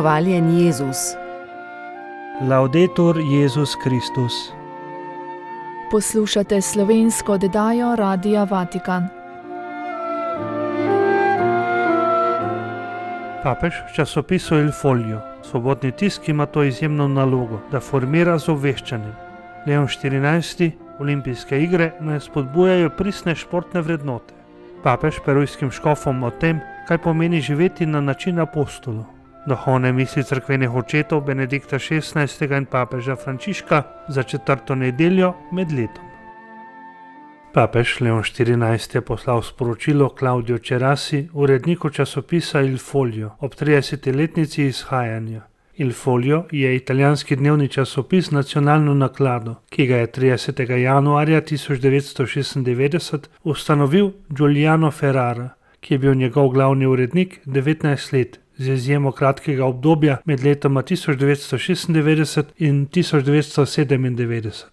Hvaljen Jezus. Laudetur Jezus Kristus. Poslušate slovensko oddajo Radia Vatikan. Papež v časopisu Il Foglio, svobodni tisk, ima to izjemno nalogo, da formira z obveščanjem. Leon XIV. Olimpijske igre ne spodbujajo pristne športne vrednote. Papež perujskim škofom o tem, kaj pomeni živeti na način apostolov. Duhovne misli cerkvenih očetov Benedikta XVI. In papeža Frančiška za 4. nedeljo med letom. Papež Leon XIV. Je poslal sporočilo Claudiu Cerasi, uredniku časopisa Il Foglio, ob 30-letnici izhajanja. Il Foglio je italijanski dnevni časopis z nacionalno naklado, ki ga je 30. januarja 1996 ustanovil Giuliano Ferrara, ki je bil njegov glavni urednik 19 let, z izjemo kratkega obdobja med letoma 1996 in 1997.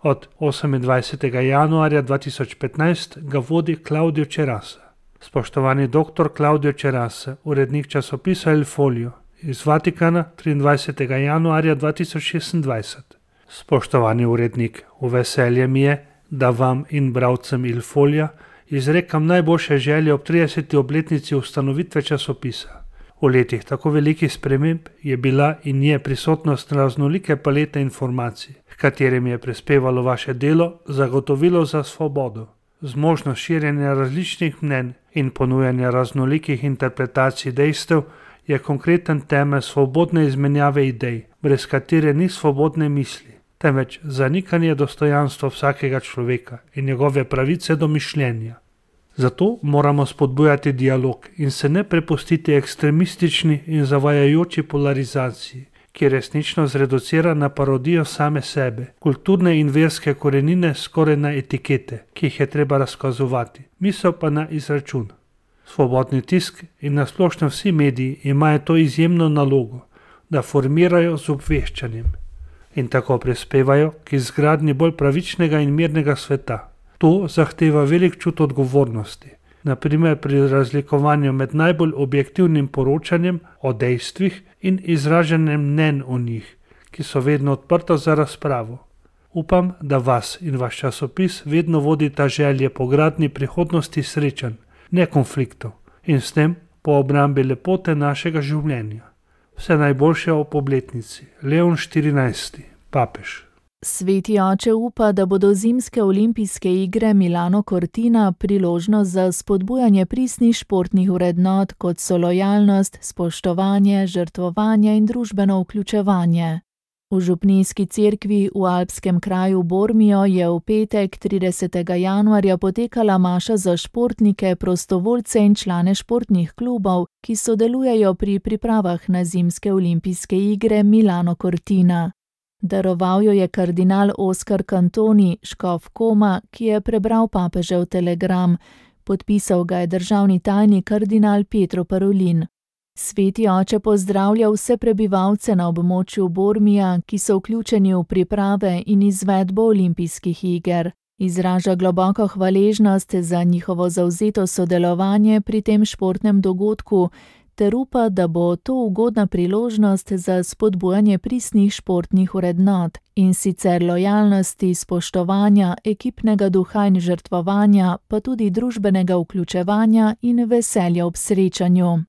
Od 28. januarja 2015 ga vodi Claudio Cerasa. Spoštovani dr. Claudio Cerasa, urednik časopisa Il Foglio, iz Vatikana 23. januarja 2026. Spoštovani urednik, v veselje mi je, da vam in bralcem Il Foglia izrekam najboljše želje ob 30. obletnici ustanovitve časopisa. V letih tako velikih sprememb je bila in je prisotnost raznolike palete informacij, h katerim je prispevalo vaše delo, zagotovilo za svobodo. Zmožnost širjenja različnih mnenj in ponujanja raznolikih interpretacij dejstev je konkreten temelj svobodne izmenjave idej, brez katere ni svobodne misli, temveč zanikanje dostojanstva vsakega človeka in njegove pravice do mišljenja. Zato moramo spodbujati dialog in se ne prepustiti ekstremistični in zavajajoči polarizaciji, ki resnično zreducira na parodijo same sebe, kulturne in verske korenine skoraj na etikete, ki jih je treba razkazovati, misel pa na izračun. Svobodni tisk in nasplošno vsi mediji imajo to izjemno nalogo, da formirajo z obveščanjem in tako prispevajo k izgradnji bolj pravičnega in mirnega sveta. To zahteva velik čut odgovornosti, naprimer pri razlikovanju med najbolj objektivnim poročanjem o dejstvih in izražanjem mnenj o njih, ki so vedno odprta za razpravo. Upam, da vas in vaš časopis vedno vodita želje po gradnji prihodnosti srečanj, ne konfliktov, in s tem po obrambi lepote našega življenja. Vse najboljše ob obletnici. Leon XIV. Papež. Sveti oče upa, da bodo zimske olimpijske igre Milano Cortina priložnost za spodbujanje pristnih športnih vrednot, kot so lojalnost, spoštovanje, žrtvovanje in družbeno vključevanje. V župnijski cerkvi v alpskem kraju Bormio je v petek 30. januarja potekala maša za športnike, prostovoljce in člane športnih klubov, ki sodelujejo pri pripravah na zimske olimpijske igre Milano Cortina. Daroval jo je kardinal Oskar Cantoni, škof Koma, ki je prebral papežev telegram. Podpisal ga je državni tajnik kardinal Pietro Parolin. Sveti oče pozdravlja vse prebivalce na območju Bormija, ki so vključeni v priprave in izvedbo olimpijskih iger. Izraža globoko hvaležnost za njihovo zavzeto sodelovanje pri tem športnem dogodku, ter upa, da bo to ugodna priložnost za spodbujanje pristnih športnih vrednot, in sicer lojalnosti, spoštovanja, ekipnega duha in žrtvovanja, pa tudi družbenega vključevanja in veselja ob srečanju.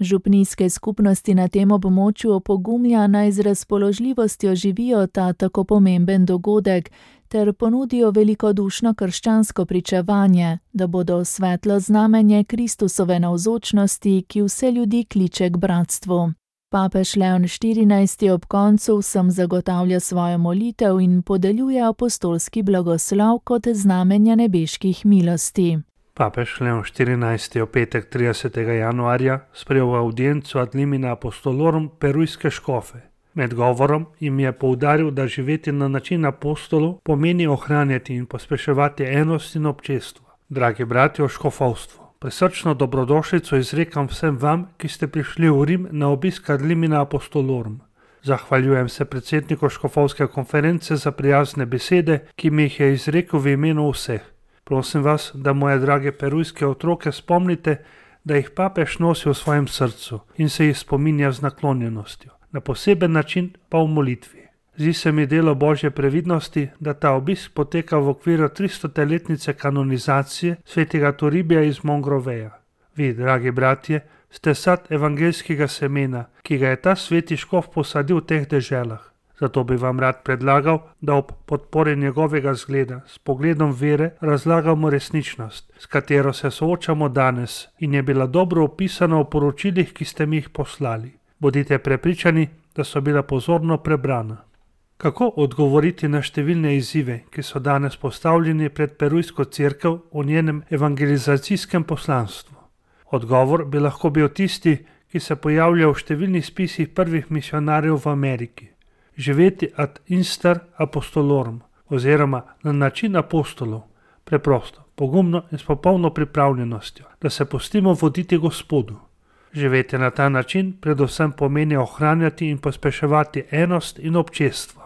Župnijske skupnosti na tem območju opogumlja, naj z razpoložljivostjo živijo ta tako pomemben dogodek, ter ponudijo velikodušno krščansko pričevanje, da bodo svetlo znamenje Kristusove navzočnosti, ki vse ljudi kliče k bratstvu. Papež Leon XIV. Ob koncu vsem zagotavlja svojo molitev in podeljuje apostolski blagoslov kot znamenje nebeških milosti. Papež Leon XIV. V petek 30. januarja sprejel audienco ad limina apostolorum perujske škofe. Med govorom jim je poudaril, da živeti na način apostolov pomeni ohranjati in pospeševati enost in občestvo. Dragi bratje v škofovstvu, prisrčno dobrodošlico izrekam vsem vam, ki ste prišli v Rim na obisk ad limina apostolorum. Zahvaljujem se predsedniku škofovske konference za prijazne besede, ki mi jih je izrekel v imenu vseh. Prosim vas, da moje drage perujske otroke spomnite, da jih papež nosi v svojem srcu in se jih spominja z naklonjenostjo, na poseben način pa v molitvi. Zdi se mi delo Božje previdnosti, da ta obisk poteka v okviru 300-letnice kanonizacije svetega Toribija iz Mongroveja. Vi, dragi bratje, ste sad evangeljskega semena, ki ga je ta sveti škof posadil v teh deželah. Zato bi vam rad predlagal, da ob podpori njegovega zgleda s pogledom vere razlagamo resničnost, s katero se soočamo danes in je bila dobro opisana v poročilih, ki ste mi jih poslali. Bodite prepričani, da so bila pozorno prebrana. Kako odgovoriti na številne izzive, ki so danes postavljeni pred perujsko cerkev v njenem evangelizacijskem poslanstvu? Odgovor bi lahko bil tisti, ki se pojavlja v številnih spisih prvih misionarjev v Ameriki. Živeti ad instar apostolorum, oziroma na način apostolov, preprosto, pogumno in s popolno pripravljenostjo, da se pustimo voditi Gospodu. Živeti na ta način predvsem pomeni ohranjati in pospeševati enost in občestvo.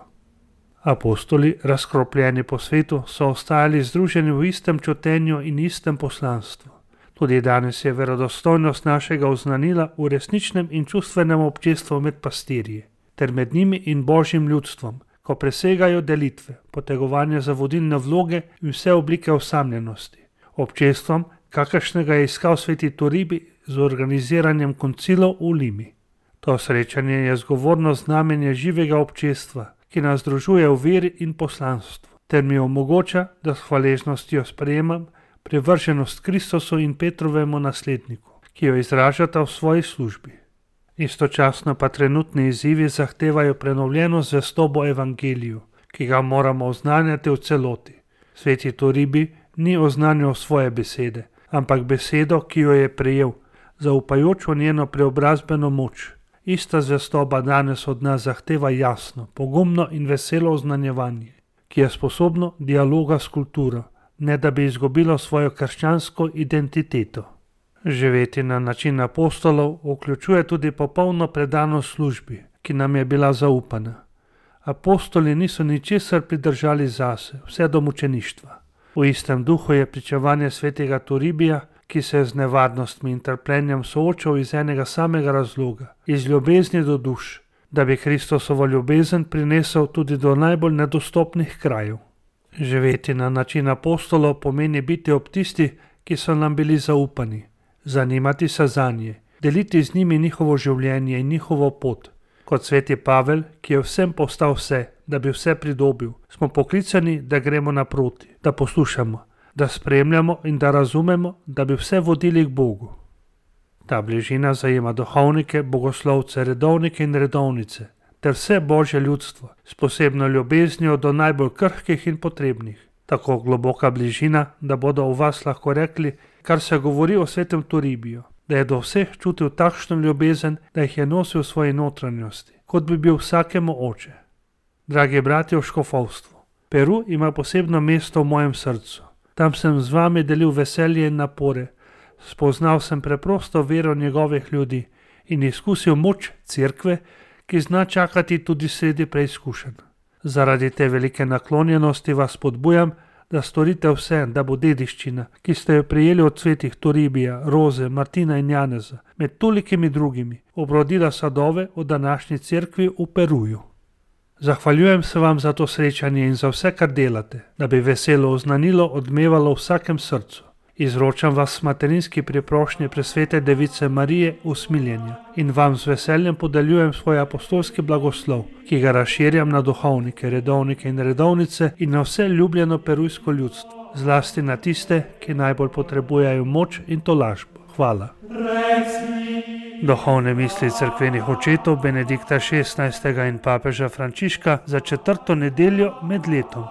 Apostoli, razkropljeni po svetu, so ostajali združeni v istem čutenju in istem poslanstvu. Tudi danes je verodostojnost našega oznanila v resničnem in čustvenem občestvu med pastirji, ter med njimi in Božjim ljudstvom, ko presegajo delitve, potegovanje za vodilne vloge in vse oblike osamljenosti. Občestvom, kakršnega je iskal sveti Toribi z organiziranjem koncilov v Limi. To srečanje je zgovorno znamenje živega občestva, ki nas združuje v veri in poslanstvu, ter mi omogoča, da s hvaležnostjo sprejemam privrženost Kristusu in Petrovemu nasledniku, ki jo izražata v svoji službi. Istočasno pa trenutni izzivi zahtevajo prenovljeno zvestobo evangeliju, ki ga moramo oznanjati v celoti. Sveti Toribi ni oznanjal svoje besede, ampak besedo, ki jo je prejel, zaupajoč v njeno preobrazbeno moč. Ista zvestoba danes od nas zahteva jasno, pogumno in veselo oznanjevanje, ki je sposobno dialoga s kulturo, ne da bi izgubilo svojo krščansko identiteto. Živeti na način apostolov vključuje tudi popolno predanost službi, ki nam je bila zaupana. Apostoli niso ničesar pridržali zase, vse do mučeništva. V istem duhu je pričevanje svetega Toribija, ki se je z nevarnostmi in trpljenjem soočal iz enega samega razloga, iz ljubezni do duš, da bi Kristusovo ljubezen prinesel tudi do najbolj nedostopnih krajev. Živeti na način apostolov pomeni biti ob tisti, ki so nam bili zaupani, zanimati se zanje, deliti z njimi njihovo življenje in njihovo pot. Kot sveti Pavel, ki je vsem postal vse, da bi vse pridobil, smo poklicani, da gremo naproti, da poslušamo, da spremljamo in da razumemo, da bi vse vodili k Bogu. Ta bližina zajema duhovnike, bogoslovce, redovnike in redovnice, ter vse Božje ljudstvo, s posebno ljubeznijo do najbolj krhkih in potrebnih. Tako globoka bližina, da bodo v vas lahko rekli, kar se govori o svetem Toribiju, da je do vseh čutil takšno ljubezen, da jih je nosil v svoji notranjosti, kot bi bil vsakemu oče. Dragi bratje v škofovstvu, Peru ima posebno mesto v mojem srcu. Tam sem z vami delil veselje in napore, spoznal sem preprosto vero njegovih ljudi in izkusil moč cerkve, ki zna čakati tudi sredi preizkušenj. Zaradi te velike naklonjenosti vas spodbujam, da storite vse, da bo dediščina, ki ste jo prejeli od svetih Toribija, Roze, Martina in Janeza, med tolikimi drugimi, obrodila sadove v današnji cerkvi v Peruju. Zahvaljujem se vam za to srečanje in za vse, kar delate, da bi veselo oznanilo odmevalo v vsakem srcu. Izročam vas materinski priprošnje presvete Device Marije usmiljenja in vam z veseljem podeljujem svoj apostolski blagoslov, ki ga razširjam na duhovnike, redovnike in redovnice in na vse ljubljeno perujsko ljudstvo, zlasti na tiste, ki najbolj potrebujejo moč in tolažbo. Hvala. Duhovne misli cerkvenih očetov Benedikta XVI. In papeža Frančiška za 4. nedeljo med letom.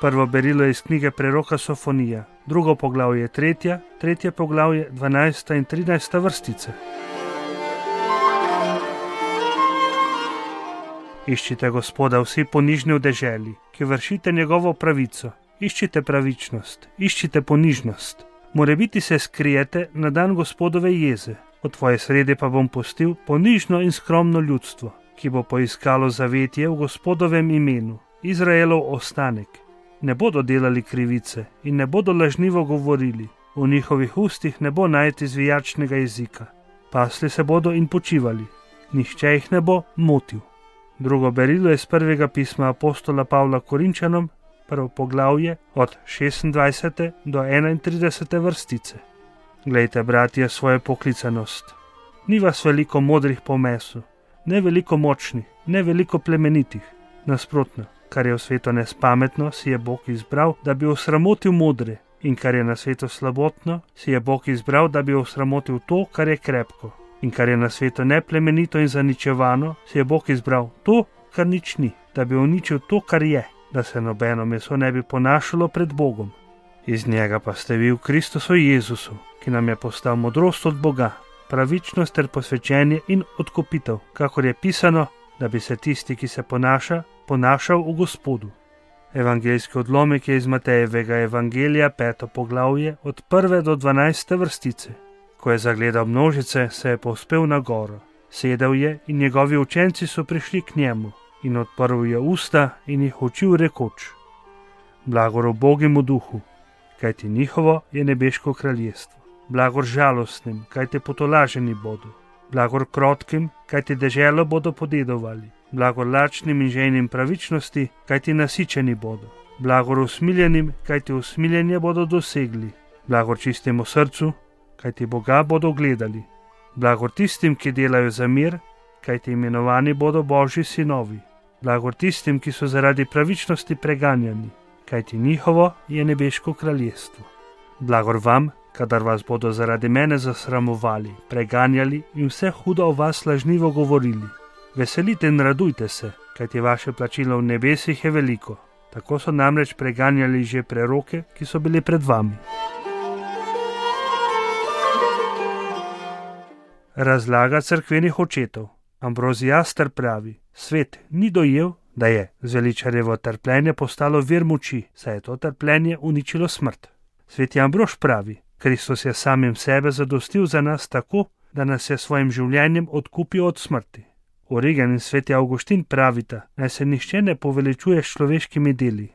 Prvo berilo je iz knjige preroka Sofonija, drugo poglavje je 3., tretje poglavje 12. in 13. vrstice. Iščite Gospoda vsi ponižni v deželi, ki vršite njegovo pravico. Iščite pravičnost, iščite ponižnost. Morebiti se skrijete na dan Gospodove jeze. V tvoje sredi pa bom pustil ponižno in skromno ljudstvo. ki bo poiskalo zavetje v Gospodovem imenu, Izraelov ostanek. Ne bodo delali krivice in ne bodo lažnivo govorili, v njihovih ustih ne bo najti zvijačnega jezika. Pasli se bodo in počivali, nihče jih ne bo motil. Drugo berilo je iz prvega pisma apostola Pavla Korinčanom, prvo poglavje od 26. do 31. vrstice. Glejte, bratje, svojo poklicanost. Ni vas veliko modrih po mesu, ne veliko močnih, ne veliko plemenitih. Nasprotno, kar je v svetu nespametno, si je Bog izbral, da bi osramotil modre, in kar je na svetu slabotno, si je Bog izbral, da bi osramotil to, kar je krepko. In kar je na svetu neplemenito in zaničevano, si je Bog izbral to, kar nič ni, da bi uničil to, kar je, da se nobeno meso ne bi ponašalo pred Bogom. Iz njega pa ste vi v Kristusu Jezusu, ki nam je postal modrost od Boga, pravičnost ter posvečenje in odkupitev, kakor je pisano, da bi se tisti, ki se ponašal v Gospodu. Evangeljski odlomek je iz Matejevega evangelija 5. poglavje od 1. do 12. vrstice. Ko je zagledal množice, se je povzpel na goro. Sedel je in njegovi učenci so prišli k njemu in odprl je usta in jih učil rekoč: Blagor ubogim v duhu, kajti njihovo je nebeško kraljestvo. Blagor žalostnim, kajti potolaženi bodo. Blagor krotkim, kajti deželo bodo podedovali. Blagor lačnim in žejnim pravičnosti, kajti nasičeni bodo. Blagor usmiljenim, kajti usmiljenje bodo dosegli. Blagor čistemu srcu, kajti Boga bodo gledali. Blagor tistim, ki delajo za mir, kajti imenovani bodo Božji sinovi. Blagor tistim, ki so zaradi pravičnosti preganjani, kajti njihovo je nebeško kraljestvo. Blagor vam, kadar vas bodo zaradi mene zasramovali, preganjali in vse hudo o vas lažnivo govorili. Veselite in radujte se, kajti vaše plačilo v nebesih je veliko. Tako so namreč preganjali že preroke, ki so bili pred vami. Razlaga cerkvenih očetov. Ambroziaster pravi: svet ni dojel, da je zveličarjevo trpljenje postalo vir moči, saj je to trpljenje uničilo smrt. Sveti Ambrož pravi: Kristus je samim sebe zadostil za nas tako, da nas je svojim življenjem odkupil od smrti. Origen in sveti Avguštin pravita, naj se nihče ne poveličuje s človeškimi deli.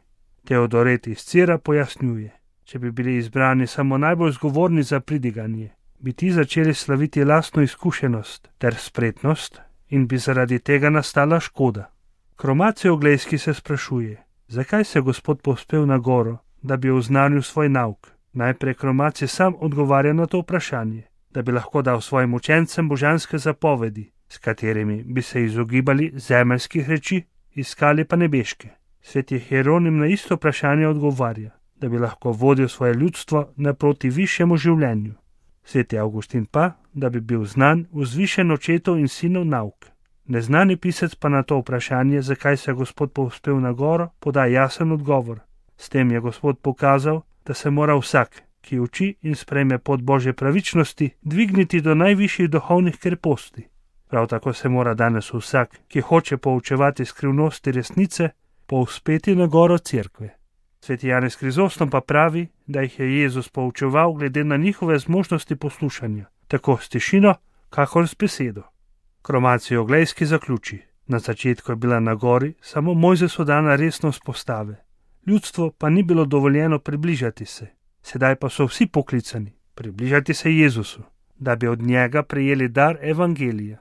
Teodoret iz Cira pojasnjuje: če bi bili izbrani samo najbolj zgovorni za pridiganje, bi ti začeli slaviti lastno izkušenost ter spretnost in bi zaradi tega nastala škoda. Kromacijo Oglejski se sprašuje, zakaj se Gospod povzpel na goro, da bi oznanil svoj nauk. Najprej Kromacij sam odgovarja na to vprašanje, da bi lahko dal svojim učencem božanske zapovedi, s katerimi bi se izogibali zemeljskih reči, iskali pa nebeške. Sveti Hieronim na isto vprašanje odgovarja, da bi lahko vodil svoje ljudstvo naproti višjemu življenju. Sveti Avguštin pa, da bi bil znan vzvišen očetov in sinov nauk. Neznani pisec pa na to vprašanje, zakaj se je Gospod povzpel na goro, poda jasen odgovor. S tem je Gospod pokazal, da se mora vsak, ki uči in sprejme pot Božje pravičnosti, dvigniti do najvišjih duhovnih kreposti. Prav tako se mora danes vsak, ki hoče poučevati skrivnosti resnice, povzpeti na goro cerkve. Sveti Janez Krizostom pa pravi, da jih je Jezus poučeval glede na njihove zmožnosti poslušanja, tako s tišino, kakor s besedo. Kromacij Oglejski zaključi: na začetku je bila na gori samo Mojzesu dana resnost postave. Ljudstvo pa ni bilo dovoljeno približati se. Sedaj pa so vsi poklicani približati se Jezusu, da bi od njega prejeli dar evangelija.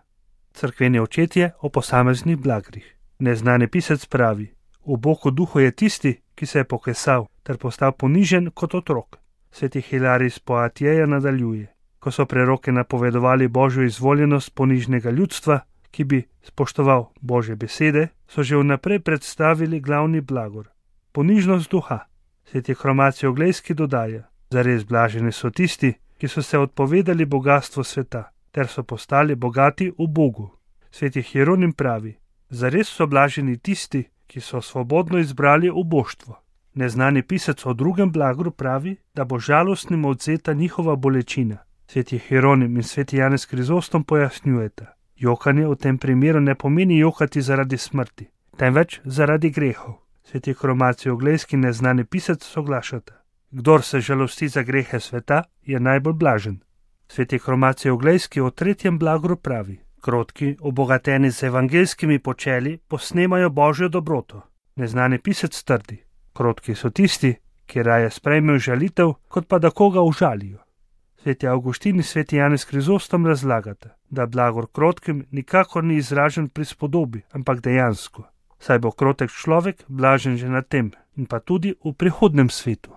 Cerkveni očetje o posameznih blagrih. Neznani pisec pravi: v Bogu duhu je tisti, ki se je pokesal ter postal ponižen kot otrok. Sveti Hilarij iz Poatjeja nadaljuje: ko so preroke napovedovali Božjo izvoljenost ponižnega ljudstva, ki bi spoštoval Božje besede, so že vnaprej predstavili glavni blagor: ponižnost duha. Sveti Kromacij Oglejski dodaja: zares blaženi so tisti, ki so se odpovedali bogatstvo sveta, ter so postali bogati v Bogu. Sveti Hieronim pravi: zares so blaženi tisti, ki so svobodno izbrali uboštvo. Neznani pisec o drugem blagru pravi, da bo žalostnim odvzeta njihova bolečina. Sveti Hieronim in sveti Janez Krizostom pojasnjujeta: jokanje v tem primeru ne pomeni jokati zaradi smrti, temveč zaradi grehov. Sveti Kromacij Oglejski in neznani pisec soglašata: kdor se žalosti za grehe sveta, je najbolj blažen. Sveti Kromacij Oglejski o tretjem blagru pravi: Krotki, obogateni z evangeljskimi počeli, posnemajo Božjo dobroto. Neznani pisec trdi: krotki so tisti, ki raje sprejmejo žalitev, kot pa da koga užalijo. Sveti Avguštin in sveti Janez Krizostom razlagata, da blagor krotkim nikakor ni izražen pri spodobi, ampak dejansko. Saj bo krotek človek blažen že na tem in pa tudi v prihodnem svetu.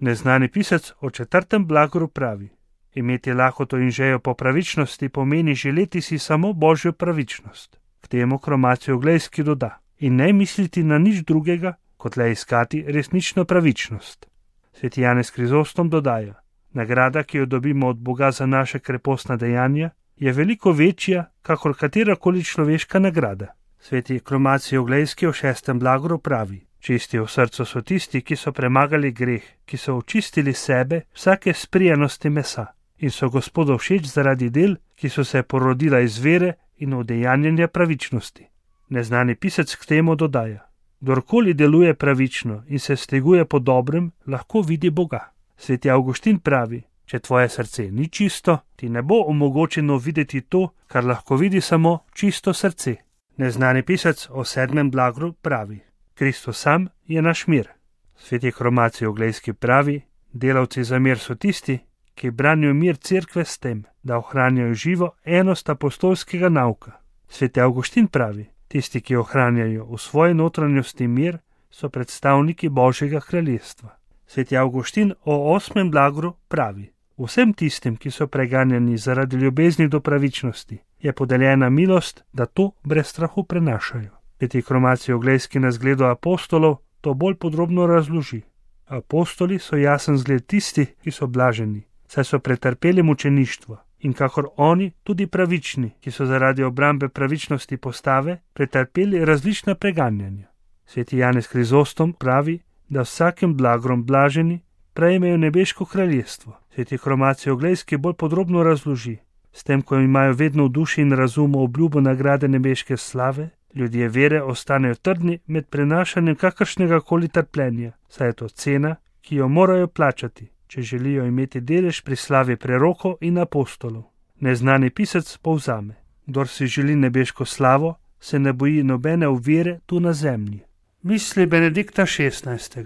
Neznani pisec o 4. blagoru pravi: imeti lakoto in žejo po pravičnosti pomeni želeti si samo Božjo pravičnost. K temu Kromatij Oglejski doda: in ne misliti na nič drugega, kot le iskati resnično pravičnost. Sveti Janez Krizostom dodaja: nagrada, ki jo dobimo od Boga za naše krepostna dejanja, je veliko večja, kakor katerakoli človeška nagrada. Sveti Kromatij Oglejski o 6. blagoru pravi: čisti v srcu so tisti, ki so premagali greh, ki so očistili sebe vsake sprijenosti mesa in so Gospodu všeč zaradi del, ki so se porodila iz vere in udejanjanja pravičnosti. Neznani pisec k temu dodaja: kdorkoli deluje pravično in se steguje po dobrem, lahko vidi Boga. Sveti Avguštin pravi: če tvoje srce ni čisto, ti ne bo omogočeno videti to, kar lahko vidi samo čisto srce. Neznani pisec o 7. blagoru pravi: Kristus sam je naš mir. Sveti Kromatij Oglejski pravi: delavci za mir so tisti, ki branijo mir cerkve s tem, da ohranjajo živo enost apostolskega nauka. Sveti Avguštin pravi: tisti, ki ohranjajo v svoji notranjosti mir, so predstavniki Božjega kraljestva. Sveti Avguštin o 8. blagoru pravi: vsem tistim, ki so preganjani zaradi ljubezni do pravičnosti, je podeljena milost, da to brez strahu prenašajo. Sveti Kromatij Oglejski na zgledu apostolov to bolj podrobno razloži. Apostoli so jasen zgled tisti, ki so blaženi, saj so pretrpeli mučeništvo in kakor oni tudi pravični, ki so zaradi obrambe pravičnosti postave pretrpeli različna preganjanja. Sveti Janez Krizostom pravi, da vsakim blagorom blaženi prejmejo nebeško kraljestvo. Sveti Kromatij Oglejski bolj podrobno razloži: s tem, ko imajo vedno v duši in razumu obljubo nagrade nebeške slave, ljudje vere ostanejo trdni med prenašanjem kakršnega koli trpljenja, saj je to cena, ki jo morajo plačati, če želijo imeti delež pri slavi prerokov in apostolov. Neznani pisec povzame: kdor si želi nebeško slavo, se ne boji nobene ovire tu na zemlji. Misli Benedikta XVI.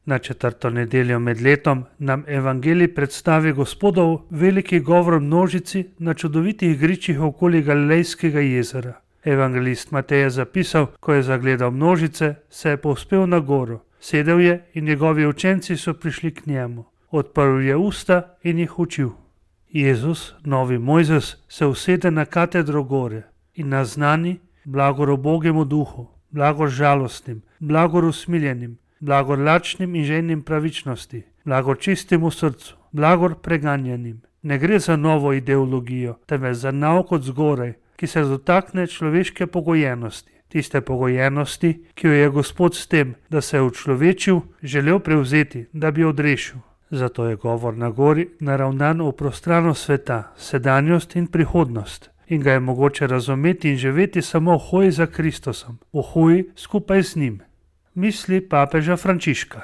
Na 4. nedeljo med letom nam evangelij predstavi Gospodov veliki govor množici na čudovitih gričih okoli Galilejskega jezera. Evangelist Matej je zapisal: ko je zagledal množice, se je povzpel na goro, sedel je in njegovi učenci so prišli k njemu. Odprl je usta in jih učil. Jezus, novi Mojzes, se usede na katedro gore in naznani: blagor ubogemu duhu, blagor žalostnim, blagor usmiljenim, blagor lačnim in žejnim pravičnosti, blagor čistemu srcu, blagor preganjanim. Ne gre za novo ideologijo, temveč za nauk od zgoraj, ki se dotakne človeške pogojenosti, tiste pogojenosti, ki jo je Gospod s tem, da se je učlovečil, želel prevzeti, da bi odrešil. Zato je govor na gori naravnan v prostranost sveta, sedanjost in prihodnost, in ga je mogoče razumeti in živeti samo v hoji za Kristusom, v hoji skupaj z njim. Misli papeža Frančiška.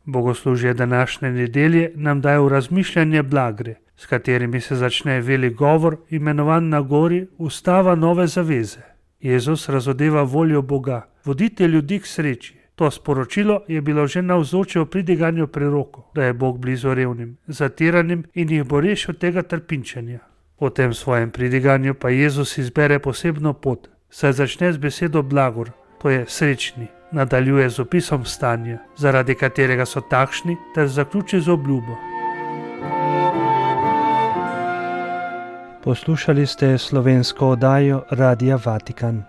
Bogoslužje današnje nedelje nam daje v razmišljanje blagre, s katerimi se začne velik govor, imenovan na gori ustava nove zaveze. Jezus razodeva voljo Boga, vodite ljudi k sreči. To sporočilo je bilo že navzoče v pridiganju prerokov, da je Bog blizu revnim, zatiranim in jih bo rešil tega trpinčenja. V tem svojem pridiganju pa Jezus izbere posebno pot, saj začne z besedo blagor, to je srečni, nadaljuje z opisom stanja, zaradi katerega so takšni, ter zaključi z obljubo. Poslušali ste slovensko oddajo Radia Vatikan.